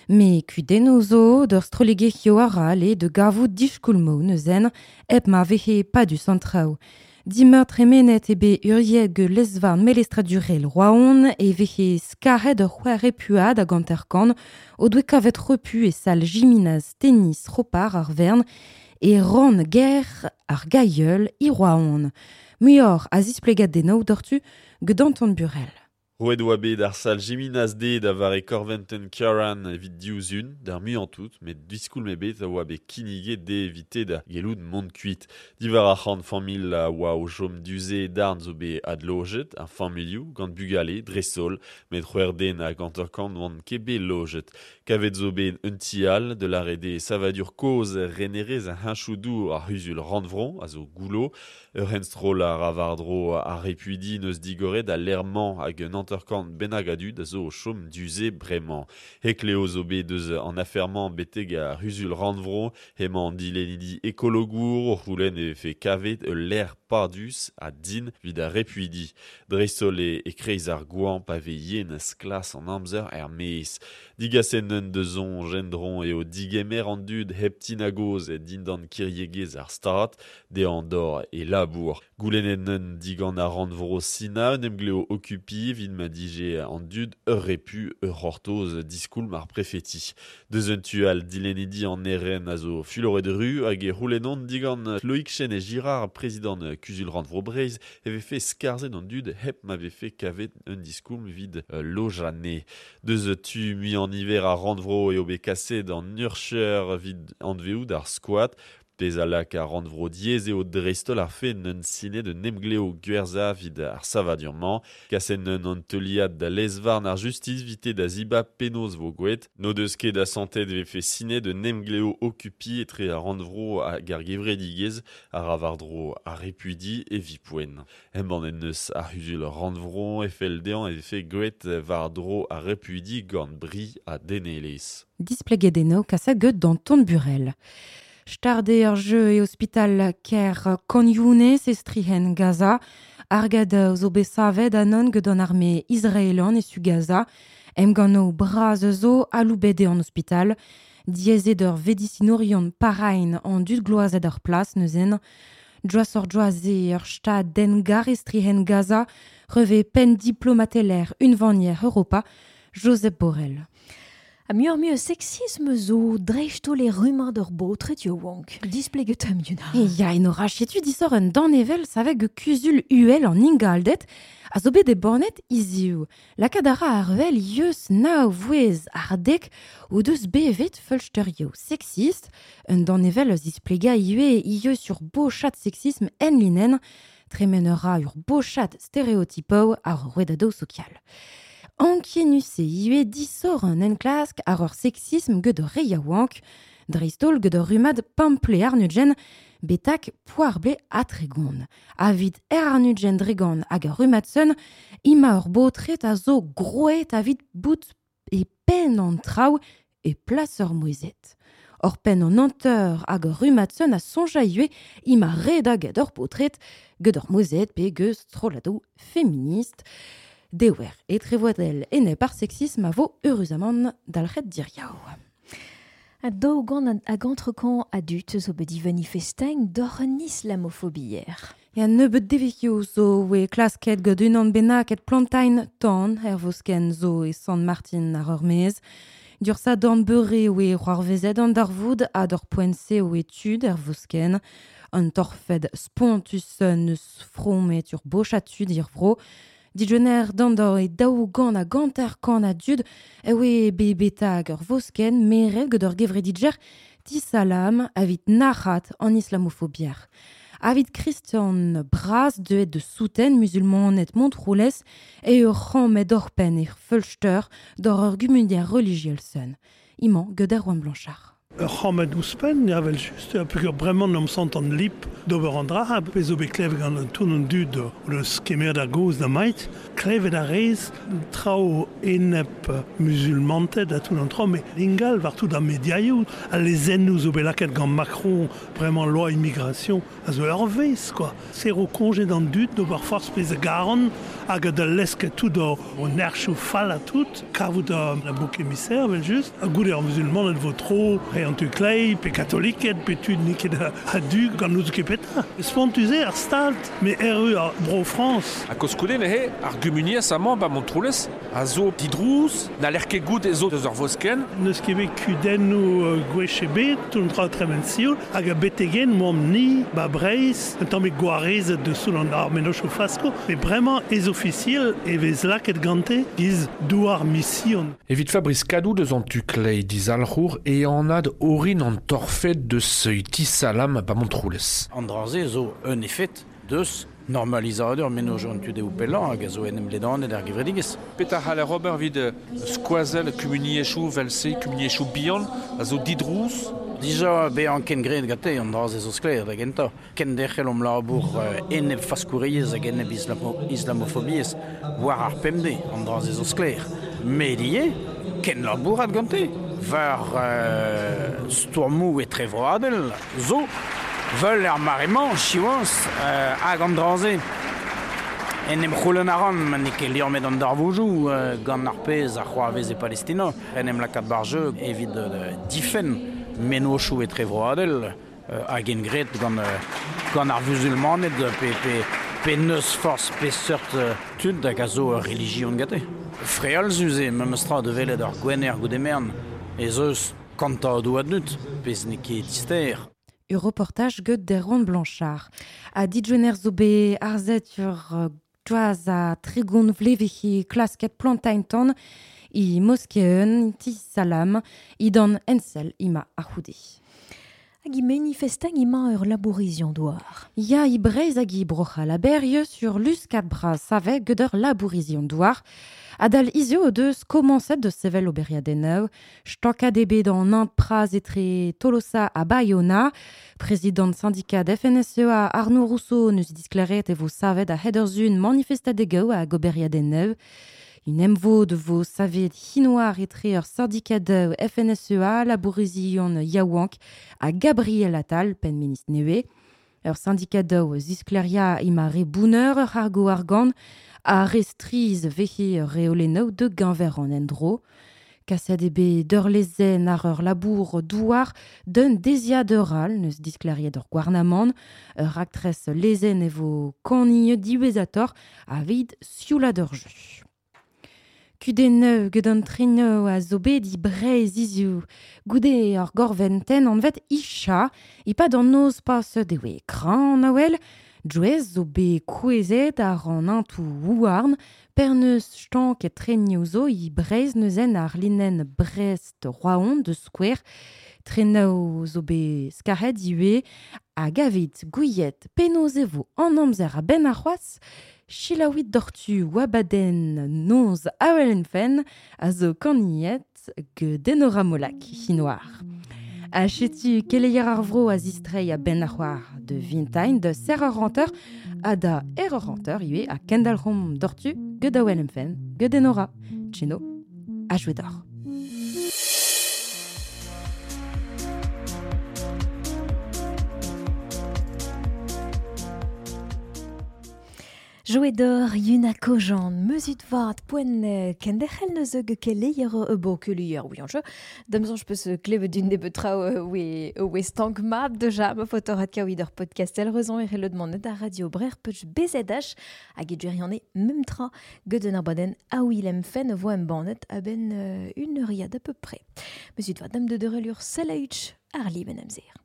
me kudennoù zo d'ur strollegezhioù a ra le de gavout diskoulmo neuzen hep ma vehe padus an traoù. Dimeur tremenet ebe uriet ge lesvarn melestradurel roaon e vehe skaret ur c'hwec'h repuad hag hanter-kant o doe kavet repu e sal jiminaz tennis ropar ar vern e ran ger ar gaieul i roaon. Muioc'h a zisplegat denno dortu gant Burel. Roet oa bet ar sal Jiminaz D da vare Corventen Karan evit diouzun, d'ar muiañ tout, met diskoulm ebet a oa bet kinniget de evite da gelout mont kuit. Diwar ar c'hant familh a oa o chom duze darn zo bet adlojet, ar familhoù gant bugale, dre-sol, met c'hwec'h den hag hanter-kant oant ket bet lojet. Kavet zo bet un ti all de l'arede savadur kozh renerez a heñchoù-dour ar c'huzul rannvro a zo goulo, ur henstroll ar avardro ar repuidi neus digoret a l'ermañ hag un hanter-kant bennak a dud a zo o chom duze bremañ. Hekleo zo bet deus an afermañ betek ar c'huzul rannvro, hemañ an dilennidi ekologour o c'houlenn e vefe kavet ul lec'h padus a din evit ar repuidi. Dreist-holl e, e kreiz ar goañv pa vez yen sklas an amzer er maez. Digasen un deus soñj endron eo digemer an dud hep tinagoz e dindan kiriegezh ar stad, de an dor e labour. Goulennet un digant ar rannvro sina un emgleo okupi evit ma dije an dud ur repu ur c'hortoz diskoulm ar prefeti. Deus un tu al dilennidi an eren a zo fuloret ru hag e c'houlennon digant Loïc Chêne Girard, prezidant Kuzul Rannvro Breizh, e vefe skarzhet an dud hep ma vefe kavet un diskoulm evit euh, lojane. Deus tu mui an hiver ar rannvro eo bet kaset an urcher evit anveout ar squat, Pezh a lak ar rannvro diaes eo dreist-holl ar fe n'un sine de nemgleo gwerza vid ar savadur-mañ, kaset n'un an teuliad da lezvarn ar justice vite da ziba penaos vo gouet, n'o deus ket asantet vefe sine de nemgleo okupi etre ar rannvro hag ar gevredigezh ar avardro ar repuidi e vipoen. Embann en neus ar c'huzul rannvro e fell dezhañ e vefe gouet war dro ar repuidi gant bri ha denelezh. Displeget eno kasa geut dans ton Burel. Starde ur jeu e ospital ker Khan Younes e strihen Gaza, argad zo bet savet anon gant an arme israelan e su Gaza, emganno braz zo aloubet eo an ospital, diaezet ur vedisinourion parain an dud gloazet ar plas neuzen, Joaz ur joaz e ur stad dengar e strihen Gaza, reve pen diplomateler unvanier Europa, Josep Borrell. A muioc'h muiañ sexisme zo dreist-holl e rummad ur baotred yaouank. Displeget am Yuna. E ya, en ora chetu disor un danevel savek ge kuzul uhel an ingaldet a zo bet e bornet hiziv. Lakaat a ra ar wel yeus nav vouez ar dek o deus bevet feulsterioù sexist, un danevel eus displega ivez ieus ur bochat sexisme en linen, tremen ur ra ur bochat stereotypou ar rouedadoù sokial. Ankienus e iwe disor an enklask ar ur sexisme ged ur re yaouank, dreistol ged ur rumad pample arnudjen betak poarble a tregon. Avid er arnudjen dregan hag ur rumad sun, ima ur botret a zo groet avid bout e pen an traoù e plas ur mouezet. Ur pen an anteur hag ur rumad sun a sonja iwe ima red hag ur potret ged ur mouezet pe geus strolladoù feminist. Dewer e trevoadel enep ar sexisme a vo heureuzamant dalc'het diriaou. A daou gant hag antrekant a dut zo bet manifestain d'or an islamofobier. Ya nebeut devezhioù zo oe klasket gant unan bennak et plantain tan er vosken zo e Sant Martin ar ur mez. Dur sa dorn beure oe c'hoarvezet an darvoud ha d'ur poent-se oe tud er vosken. An torfed spontus neus fromet ur bocha tud ir vro. Dijener dandor e daou gant a ganter kan a dud e oe be betag ur vosken meret gant ur gevredidjer tisalam avit nac'hat an islamofobier. Avit Christian Braz deuet de souten musulmanet Montroulez e ur c'hammet orpen e feulster d'or ur gumunier religiel sun. Iman gant Erwan Blanchard. Ur c'hammed ouzhpenn, ya vel just, ha peogwir bremañ n'am sant an lip d'ober an dra, ha pezh zo bet klevet gant an tourn an dud o deus kemer da goz da mait, klevet a rez traoù enep musulmanted ha tout an traoù, met ingal war tout ar mediaioù, al lezennoù zo bet lakaet gant Macron, bremañ loi immigration, a zo ur vez, quoi. Serro koñje d'an dud d'ober forzh pezh a garan, hag da lesket tout o, o nerchoù fall ha tout, kavout a, a bouc émissaire, vel just, ha goude ar musulmaned vo tro, re an tu klei, pe katoliket, pe tud n'eo ket a, a du gant n'out ket petra. Spontus eo ar stad, me erru ar Bro France. A koskoude nehe, ar gumuniez amañ ba Montroulez, a zo didrouz, na l'er ket gout ezo deus ar vosken. N'eus ket bet kudennoù uh, gwech ebet, tout an tra tremen sioul, hag a betegen moamp ni, ba Breizh, un tamm bet gwarezet deus soul an ar mennozhioù fasko, met bremañ ez ofisiel e vez lakaet gante giz douar mission. Evit Fabrice Kadou deus an tu klei dizalc'hour e anad orin an torfed deus tisalam ba Montroulez. An dra-se zo un efed deus normalizadur mennozhioù an tudeoù pellañ hag a zo en em ledanet ar gevredigezh. Petra c'haller ober evit skoazell kumuniezhioù vel-se, kumuniezhioù bihan a zo didrouz? Dija bezañ ken graet gante an dra-se zo sklaer da gentañ. Ken derc'hel omp labour enep faskouriezh hag enep islamo, islamofobiezh war ar pemdez, an dra-se zo sklaer. Met ivez, ken labourat gante war euh, stourmoù etrevroadel zo veul er mare-mañ, siwazh, euh, hag an dra-se. En em c'houlenn a ran, ma n'eo ket liammet an darvoudoù euh, gant ar pezh a c'hoarvez e Palestina. En em lakaat bar jeu evit euh, difenn mennozhioù etrevroadel euh, hag en graet gant, euh, gant ar vuzulmaned pe, pe, pe neus forzh pe seurt euh, tud hag a zo ur relijion gante. Frealzus eo memes tra da welet ar gwener goude mern ez eus kantadoù a dud, pezh n'eo ket dister. Ur reportage gant Erwan Blanchard. A dijener zo bet arzet ur joaz a tregont vlevehi klasket plantain tan i moskeun ti salam i dan ensel ima a c'houde. Hag i manifestan ima ur labourizion douar. Ya i Breizh hag i brocha la berrie sur luskat bras save gant ur labourizion douar. Adal izio o deus komañset de sevel oberiadennoù, stokad ebet an int praz etre Tolosa ha Bayona, prezidant syndikat F N S E A Arnaud Rousseau neus disklaret e vo savet a hed ur zun manifestadegoù hag oberiadennoù. Un emvo de vo savet hinoar etre ur syndikat F N S E A, labourizion yaouank ha Gabriel Attal, penn ministr nevez. Ur syndikat ziskleria ima re bouneur ur argo argant a restriz vehe reolennoù de gañver an endro. Kaset eo bet d'ur lezenn ar ur labour douar d'un deziad ur all neus diskleriet ur gouarnamant, ur raktres lezenn e vo kanign diwezhator aveit sioulad ur jeu. Kudennoù gant an trenoù a zo bet i Breizh hiziv. Goude ur gorventenn anvet Isha, e-pad an noz paset e oe kran a-wel, Drouez zo bet kouezhet ar an antoù houarn, per neus stank e trenioù zo i Breizh neuzen ar linenn Brest-Roazhon de Square. Trenoù zo bet skaret ivez hag avit gouiet penaos e vo an amzer a-benn ar c'hoazh, Chilawit dortu wabaden nonz awelenfen a zo kaniet ge denora molak hinoar. A chetu keleier ar vro a zistrei a ben ar c'hoar de vintain de serreur renteur a da erreur renteur iwe a kendalc'hom dortu ge da awelenfen ge denora. Cheno a jouet d'or. Jouet d'or Yuna Kojan, meuzut vat poen kenderc'hel neus ge keleier e bo keleier oui anche. Damzon je peus klevet d'un nebeut traoù oe oe stank mab deja ma fotorat kaouid ur podcast el rezon e relot manet a radio brer peuch B Z H hag e djeriane mem tra ged un ar baden a Willem fen vo em banet a ben euh, une heuriad à peu près. Meuzut vat dam de derelur selaüch ar liben amzer.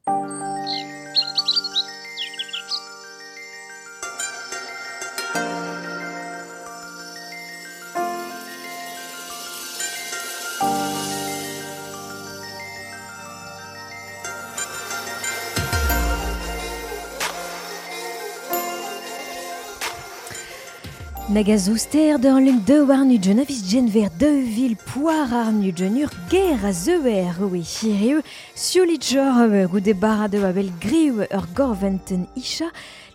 Nagazouster d'ur lung de war nu avis genver de vil poar ar nu ur ger a zeuer oe chirieu siolitjor goude barade a bel griw ur gorventen isha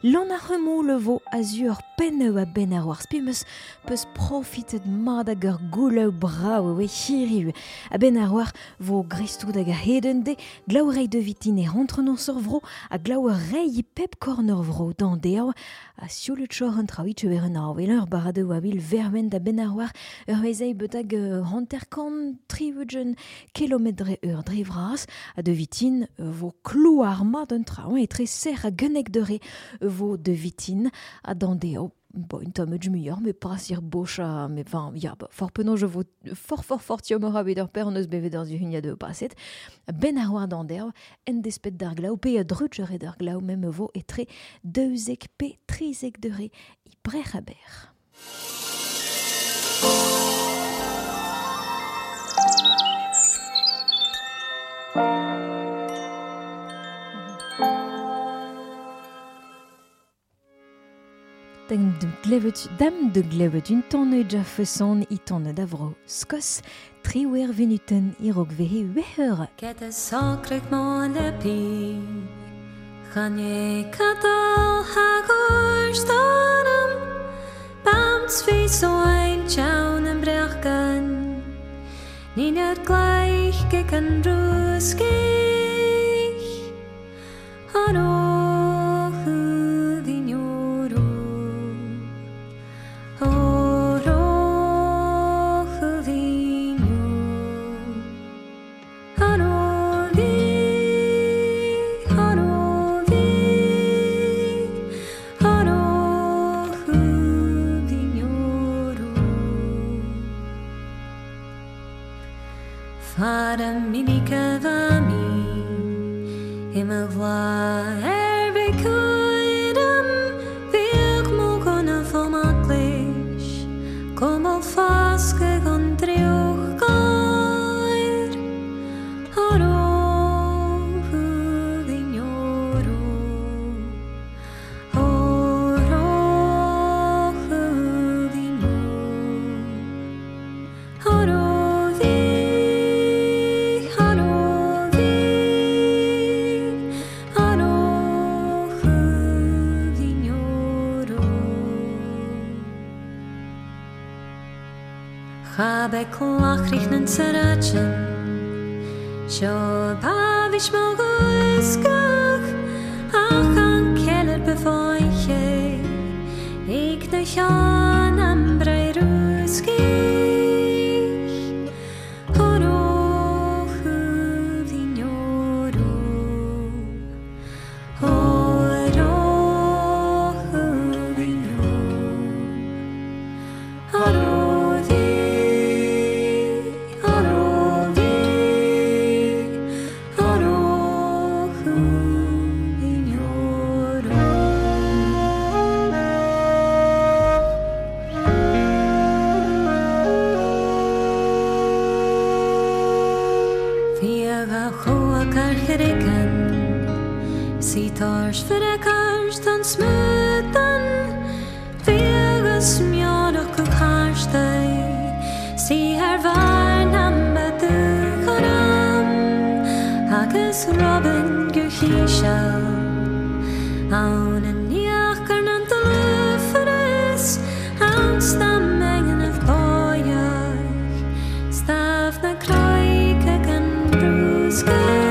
Lan ar remon le vo azur penneu a ben ar war spimeus peus profitet mad hag ur gouleu brao oe chiriu a ben ar war vo gristou hag a heden de glaou rei de vitin e rentre non sur vro a glaou rei pep korn ur vro dan deo a siolitjor an traoui teuer an ar ur barade a vil vermen da ben ar war ur vezei betag hanterkant triwugen kilometre ur dre vras a de vitin vo klou ar mad an traoù e tre ser a gennek de re vo de vitin a dan deo bon, un tamm muioc'h, mais pas sir bocha, mais enfin, ya, ba, fort penaos je vo fort fort fort tiomor a bet ur per an eus bevet ur zuhunia de paset, ben ar war dan deo, en despet d'ar glaou, pe a drutjere d'ar glaou, mem vo etre deuzek pe trizek de re, i brec'h a ber. Dam de glevet, dam de glevet un tonne jafeson i tonne d'avro skos, triwer venuten irok vehe weheur. Kete sakrek mon lepi, chanye katal hagorstanam, bamts vi so ein tjaunen brechkan, ninet gleich geken ruskich, haro. Sitar för kars tan smötan. Kroikas Robin Guchisha Aun en jacher an de Aun stam mengen of boyach Staf na kroika gan bruskech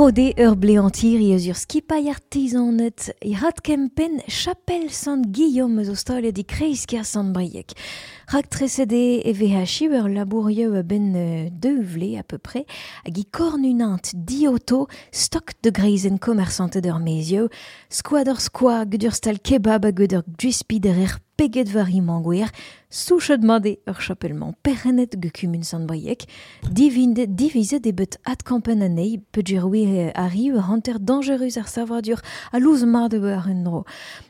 De ur bleantir eus ur skipailh artizanet e rat kempen chapel Sant Guillaume eus ostalet e kreiz-kêr Sant-Brieg. Rak tresede e V H I ur labourieu a ben deux vlé à peu près hag i kornunant dioto stok de greizen commerçante d'ur mezieu skoad ur skoa gud ur stal kebab hag gud ur gwispiderer peget war i mangouer souchet made ur chapelman perrenet ge kumun Sant-Brieg divinde divizet e bet adkampen anezhi peogwir arri ur hanter dangerus ar savadur a louz mat eo ar un dro.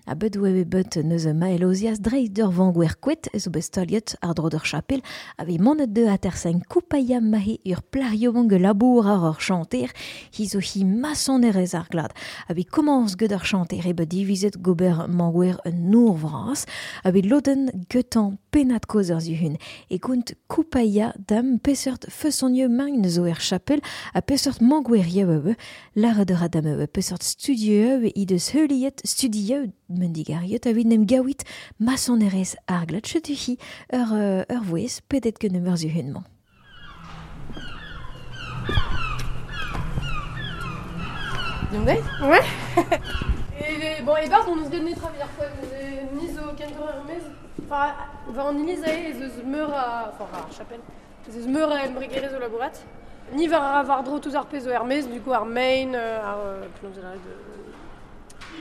A bet oa e bet neuze maelozias dreist d'ur vangouer kouet ez o bet staliet ar dro d'ur chapel a vez monet de atersen koupaia mahe ur plario ge labour ar ur chanter hi zo hi masonerez ar glad. A vez komans get ur chanter e bet divizet gober mangouer un nour vras a vez loden getan penat koz ur zuhun. E kount koupaia dam peseurt feusonieu magn zo er chapel a peseurt mangouerieu eue lare de radam eue peseurt studieu eue i deus heuliet studieu mendigariet a nem gawit masonerez ar glad chetu hi ur, ur vouez pedet ket nemeur zuhun-mañ. Diondez? Ouais. Et bon, et barz, on eus bet netra evit ar foen, ni zo kentor ar mez. Enfin, war an iliz ae ez eus meur a... Enfin, ar chapel. Ez eus meur a embregerez o labourat. Ni war ar war dro touz ar pezh zo er mez, du coup ar main, ar... Penaos de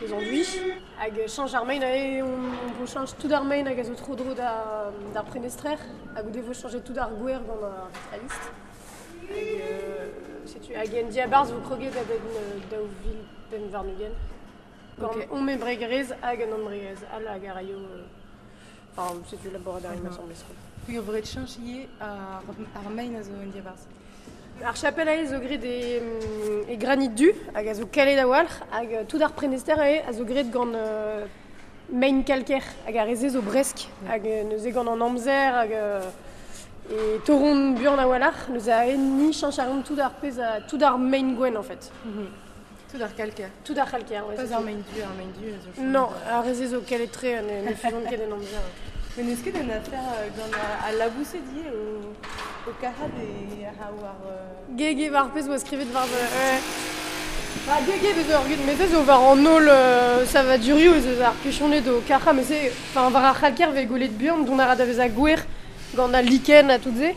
les enduits. Hag chanj ar main ae, on, on change tout ar main hag a zo tro dro da, d'ar prenestrer. Hag o devo changer tout ar gwer gant ar vitralist. Hag, euh, setu, hag en diabarz vo kroget a ben daou vil pemp warn-ugent. Gant okay. On embregerez hag an embregerez all hag a raio... Enfin, setu labourat ar mm-hmm. Assemblée. Ur vret chanch ivez ar, ar main a zo en diabarz. Ar chapel ae zo graet e, e granit du, hag a zo kalet a-walc'h, hag tout ar prenester ae a zo graet gant euh, main kalker, hag ar reze zo bresk, hag neuze gant an amzer, hag e toron buan a-walc'h, neuze ae ni chanch ar tout ar pezh a, tout ar main gwenn en fait. Mm-hmm. Tout ar kalker. Tout ar kalker, ouais. Pas ar main du, ar main du a zo... Non, ar reze zo kalet tre, ne, ne fuzont ket en amzer. Mais n'eus ket un affaire euh, gant a, a labouset die o, o kahad e a war... Euh... Gege war pezh oa skrivet war... Euh, Ba gege bez ur gud, met ez o war an ol euh, savadurioù ez eus ar kuchoned o kacha, mais se, enfin, war ar c'halker ve golet buan, don a ra da vez a gwer gant a liken a tout ze.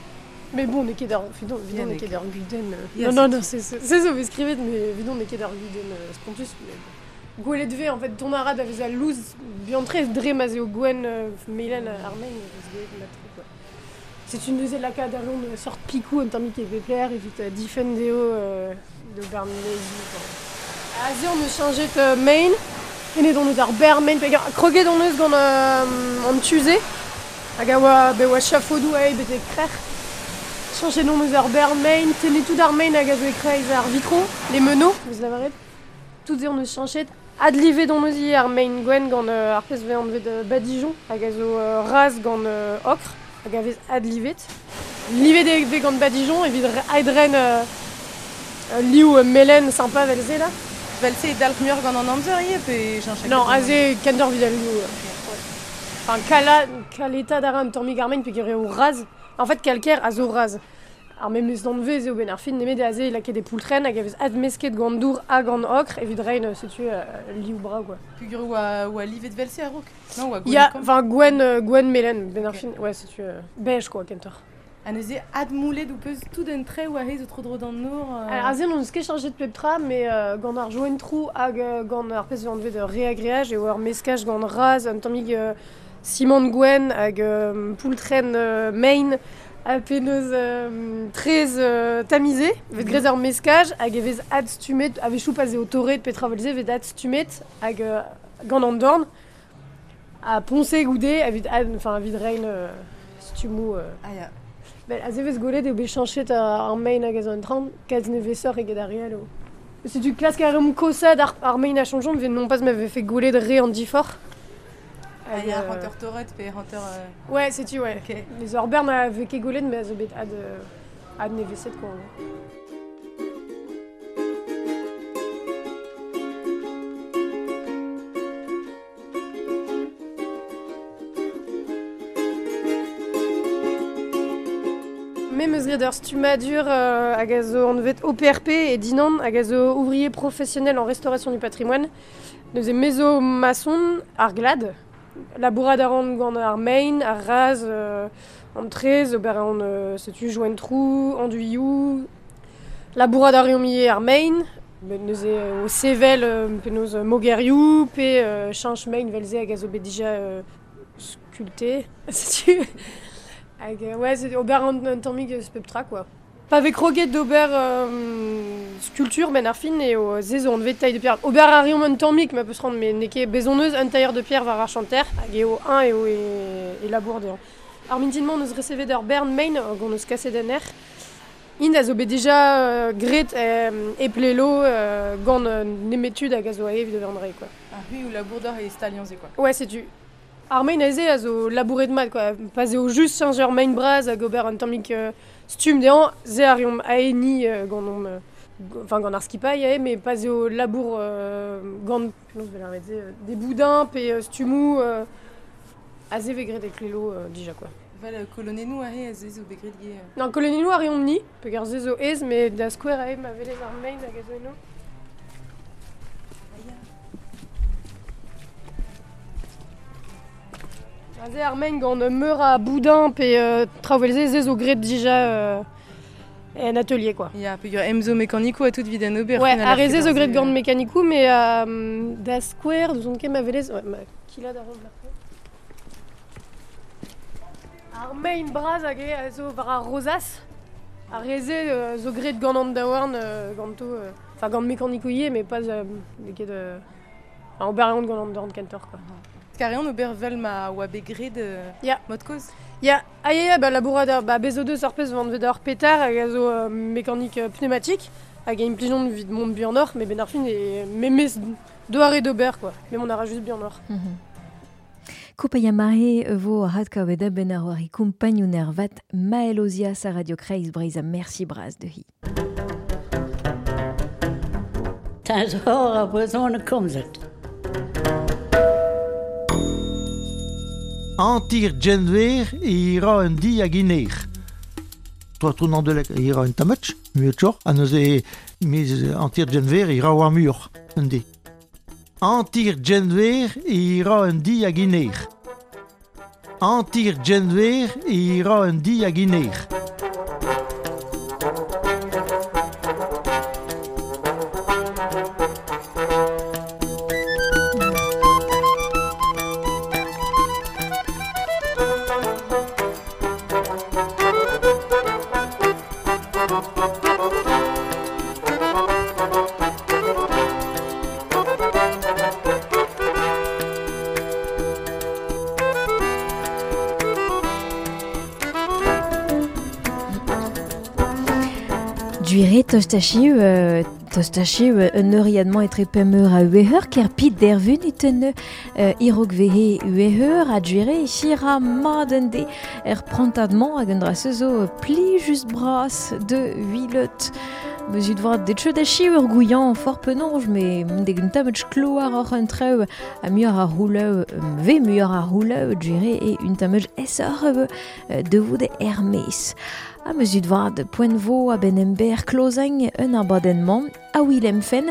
Mais bon, n'eo ket ur, vidon, vidon n'eo ket ur gudenn... Euh, non, non, non, c'est c'est zo vez skrivet, mais vidon n'eo ket ur gudenn euh, spontus, mais bon. Gwelet ve, en fait, don a ra da vez a louz biantre dre ma zeo gwen euh, melen ar main, vez gwelet ma quoi. C'est une neuze lakaat ar une sort pikou un tammik e bepler evit euh, difen deo euh, de barnezioù. Aze on eus chañjet euh, main, ene don eus ar ber main, peger kroget on eus gant euh, an tuze, hag a oa, be oa chafodou ae betek krec'h. Chañjet on eus ar ber main, tenez tout ar main hag a zo e kreiz ar vitro, les meneaux, vous lavaret. Tout ze on eus chañjet. Adlivet on eus ivez ar main gwenn gant euh, ar pezh vez anvet euh, badigeon, hag a zo euh, raz gant euh, ocre, hag a vez adlivet. Livet e vez gant badigeon evit aedren euh, liv euh, melen sympa vel se là. Vel se dalc'h muioc'h gant an amzer ivez pe chañch Non, aze kentoc'h evit al liv. Euh, ouais. Enfin, kala, kaleta d'ar un tammig ar main peogwir eo raz. En fait, kalker a zo raz. Ar memes danvez eo ben ar fin nemet aze lakaet e poultren hag a vez admesket gant dour hag gant ocre evit rein setu euh, liv bra quoi. Peogwir oa, oa livet vel se a-raok? Non, oa gwenn Ya, kom. enfin gwenn, euh, gwenn melen ben ar Ok. fin, ouais, setu euh, beige quoi kentoc'h. Ha neuze admoulet ou peus tout un trait oa he zo tro dro d'an nor euh... Alors aze on eus ket chañjet pep tra, mais euh, gant ar joen trou hag euh, gant ar pezh anvet de réagréage eo ur meskaj gant raz, un tammig euh, ciment gwenn hag euh, poultren euh, main a penaos euh, trez euh, tamisé, vet grez ur meskaj hag e vez adstumet, a wechoù pa eo torret petra vel se, vet adstumet hag euh, gant an dorn a ponse goude evit ad, enfin evit rein euh, stumou euh. Ah ya. Ben, aze vez golet eo bet chañchet ar main hag a zo en traoñ, kalz nevesoc'h eget ar re all eo. Setu klask ar reomp kosad ar, ar main a chañjont, vet non pas ma vefe golet re an diforc'h. Ah Hag, ya, euh, hanter torret pe hanter... Euh... Ouais, setu, ouais. Ok. Les ur bern a vez ket golet, mais a zo bet ad, euh, ad neveset, quoi. En gros. Me meus graet ur stummadur euh, hag a zo anvet O P R P e Dinan, hag a zo ouvrier professionnel en restauration du patrimoine. Neuze me zo maçon ar glad, labourad a ran gant ar main, ar raz, euh, an trez, ober an euh, setu joen trou, anduilhoù, labourad a reomp ivez ar main, met neuze euh, o sevel euh, penaos euh, mogerioù, pe euh, cheñch main vel se hag a zo bet dija euh, sculpté, setu. Hag, euh, ouais, c'est ober an, un tammig eus pep tra, quoi. Pa vez kroget d'ober euh, sculpture ben ar fin eo ze zo anvet taille de pierre. Ober a reomp un tammig ma peus rand, met n'eo ket bezoneus un tailleur de pierre war ar chanter, hag eo un eo e, e labour dezhañ. Ar mintin-mañ on eus resevet ur bern main hag on eus kaset en aer. Int a zo bet dija euh, graet euh, e plelo euh, gant euh, nemetud hag a zo ae evit ober an dra, quoi. Ah oui, ou labour d'or e staliañ se, quoi. Ouais, setu. Ar main aze a zo labouret mat, quoi. Pa eo just chañjer main bras hag ober un tammig euh, stumm dezhañ, se a reomp ae ni euh, gant omp, euh, enfin gant ar skipailh ae, mais pa eo labour euh, gant, penaos vel ar se, euh, des boudins pe euh, stummoù euh, aze vez graet e klelo euh, dija, quoi. Vel euh, kolonennoù ae a ze zo bet graet ivez. Non, kolonennoù a reomp ni, peogwir se zo aes, mais da skouer ae ma velez ar main hag a zo eno. Aze ar main gant meur a boudin pe euh, traoù se, se zo graet dija euh, en atelier, quoi. Ya, peogwir emzo mekanikoù a tout evit an ober. Ouais, fin, ar re se zo ket graet gant mekanikoù, mais euh, da skouer, n'ouzon ket ma velez... Ouais, ma kilad a ran marteze. Ar main bras hag eo a zo war ar rozas. Ar re se euh, zo graet gant an daouarn euh, ganto... euh, Enfin, gant mekanikoù ivez, mais pas euh, n'eo ket... Euh, enfin, ober a reont gant an dorn kentoc'h, quoi. Kareon ober vel ma oa bet graet euh, Ya. mod kozh. Ya, ah ya, ya, ba labourad ar, ba bez o deus ar pezh vanvet ar petar hag a zo euh, mekanik euh, pneumatique hag a implijon evit mont buanoc'h, mais ben ar fin e memez doare d'ober, quoi. Mais mon a juste buanoc'h. Mm -hmm. Koupaia mare vo radkavet ben ar war i kumpagnoun er vat Maël Ozias a Radio Kreiz Breizh a merci bras de hi. Teñzor ar brezhoneg komzet. Antir genver e ira un di hag iner. Toa tournant de lek e ira un tametch, muetchor, ha neuze miz antir genver e ira war muioc'h, un di. Antir genver e ira un di hag iner. Antir genver e ira un di hag iner. Duire tostachiu, euh, tostachiu un euriadement etre pemeur a ueheur, ker pit dervun it un euh, irok vehe ueheur a duire chira madende er prantadement hag un dra sezo pli just bras de huilet. Meus ud vat det cheud a chiu ur gouillan fort penonj, me deg un tametch kloar oc'h un treu a muioc'h a rouleu, ve muioc'h a rouleu duire e un tametch esor de vout Hermès. A meus ud vat poent vo a ben ember klozeng un abadennement a Willem Fen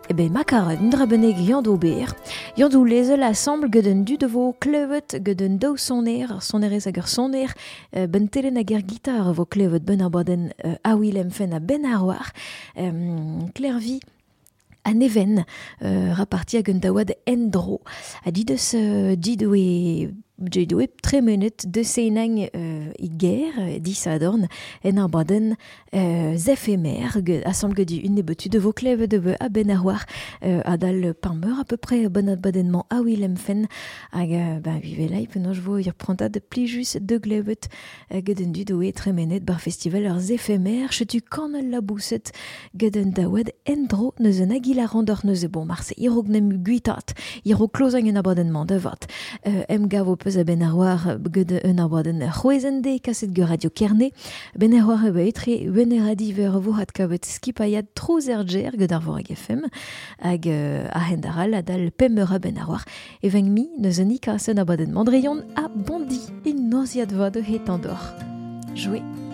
e ben makar un dra beneg yann d'ober. Yann d'ou lezel assemble gant un du de vo klevet gant un daou soner, ar sonerez hag ur soner, ben telen hag ur gitar vo klevet ben abaden a Willem Fen a ben ar war. Um, Klervi an even euh, raparti hag un daouad endro. A dit deus euh, dit oe J'ai tremenet de seinang euh, i ger, dis adorn, en ar baden euh, zephemer, assemble du une nebetu de vo kleve de be a ben ar war, euh, adal parmeur à peu près bon abadennement a Willem Fen, hag euh, ben vive lai penaos vo ir prantad pli jus de glevet ged un dud oe tremenet bar festival ar zephemer, chetu kanal la bousset ged un daouad endro neus un agilarandor neus bon marse irog nem guitat, irog klozang un abadennement de vat, euh, em gavo peus a ben ar war ged un abaden c'hwezende kaset gant Radio Kerne, ben ar war ebe etre weneradi ver vo hat kavet skipaiad trouz er ger ged ar vorag F M hag euh, a hend aral adal pemeur a ben ar war e veng mi neus un ikasen abaden mandreion a bondi in noziad va de het andor. Jouer.